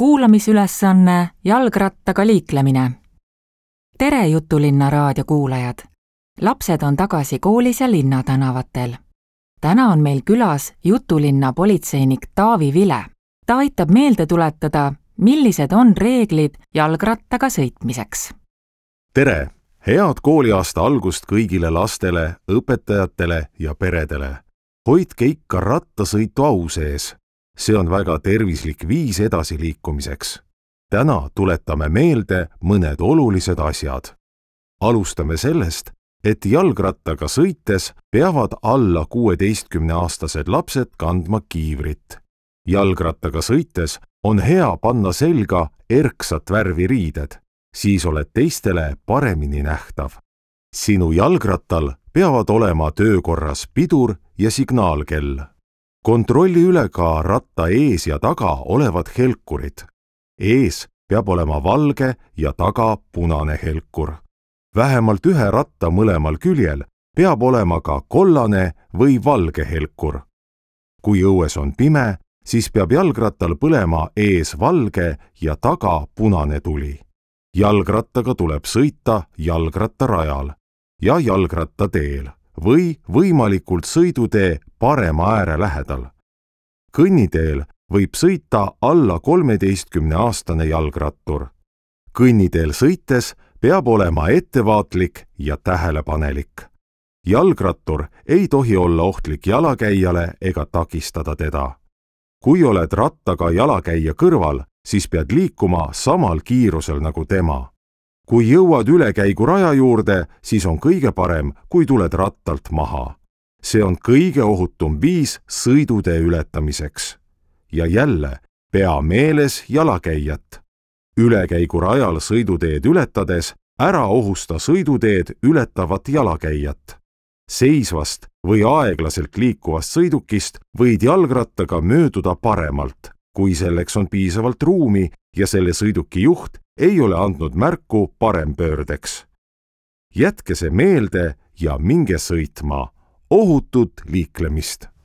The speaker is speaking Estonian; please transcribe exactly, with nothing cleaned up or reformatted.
kuulamisülesanne jalgrattaga liiklemine. Tere Jutulinna raadio kuulajad! Lapsed on tagasi koolis ja linnatänavatel. Täna on meil külas Jutulinna politseinik Taavi Vile. Ta aitab meelde tuletada, millised on reeglid jalgrattaga sõitmiseks. Tere! Head kooliaasta algust kõigile lastele, õpetajatele ja peredele. Hoidke ikka rattasõitu au sees. See on väga tervislik viis edasiliikumiseks. Täna tuletame meelde mõned olulised asjad. Alustame sellest, et jalgrattaga sõites peavad alla kuueteistkümneaastased lapsed kandma kiivrit. Jalgrattaga sõites on hea panna selga erksat värvi riided, siis oled teistele paremini nähtav. Sinu jalgrattal peavad olema töökorras pidur ja signaalkell. Kontrolli üle ka ratta ees ja taga olevad helkurid. Ees peab olema valge ja taga punane helkur. Vähemalt ühe ratta mõlemal küljel peab olema ka kollane või valge helkur. Kui õues on pime, siis peab jalgrattal põlema ees valge ja taga punane tuli. Jalgrattaga tuleb sõita jalgrattarajal ja jalgrattateel või võimalikult sõidutee parema ääre lähedal. Kõnniteel võib sõita alla kolmeteistkümneaastane jalgrattur. Kõnniteel sõites peab olema ettevaatlik ja tähelepanelik. Jalgrattur ei tohi olla ohtlik jalakäijale ega takistada teda. Kui oled rattaga jalakäija kõrval, siis pead liikuma samal kiirusel nagu tema. Kui jõuad ülekäigu raja juurde, siis on kõige parem, kui tuled rattalt maha. See on kõige ohutum viis sõidutee ületamiseks. Ja jälle, pea meeles jalakäijat. Ülekäigu rajal sõiduteed ületades ära ohusta sõiduteed ületavat jalakäijat. Seisvast või aeglaselt liikuvast sõidukist võid jalgrattaga mööduda paremalt, kui selleks on piisavalt ruumi ja selle sõiduki juht ei ole andnud märku parempöördeks. Jätke see meelde ja minge sõitma. Ohutut liiklemist!